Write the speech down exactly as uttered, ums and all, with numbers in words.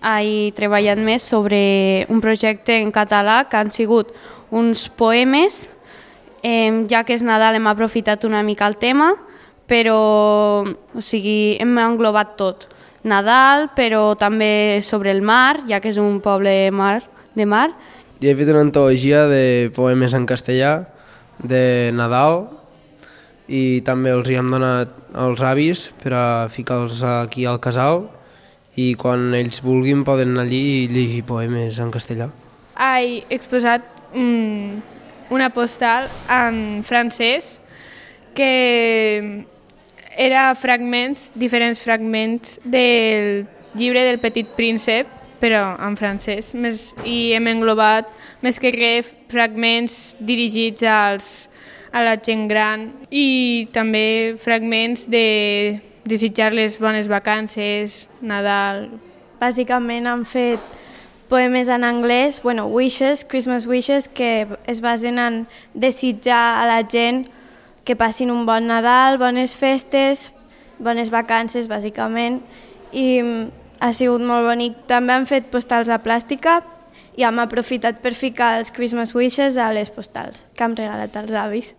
he treballat més sobre un projecte en català que han sigut uns poemes. Eh, ja que és Nadal hem aprofitat una mica el tema, però o sigui, hem englobat tot. Nadal, però també sobre el mar, ja que és un poble mar, de mar. I he fet una antologia de poemes en castellà, de Nadal, i també els hi hem donat als avis per a ficar-los aquí al casal i quan ells vulguin poden anar allí i llegir poemes en castellà. He exposat mm, una postal en francès que era fragments, diferents fragments del llibre del Petit Príncep, però en francès, més, i hem englobat més que res fragments dirigits als, a la gent gran i també fragments de desitjar les bones vacances, Nadal. Bàsicament han fet poemes en anglès, bueno, wishes, Christmas wishes, que es basen en desitjar a la gent que passin un bon Nadal, bones festes, bones vacances, bàsicament, i ha sigut molt bonic. També han fet postals de plàstica i hem aprofitat per ficar els Christmas wishes a les postals que hem regalat als avis.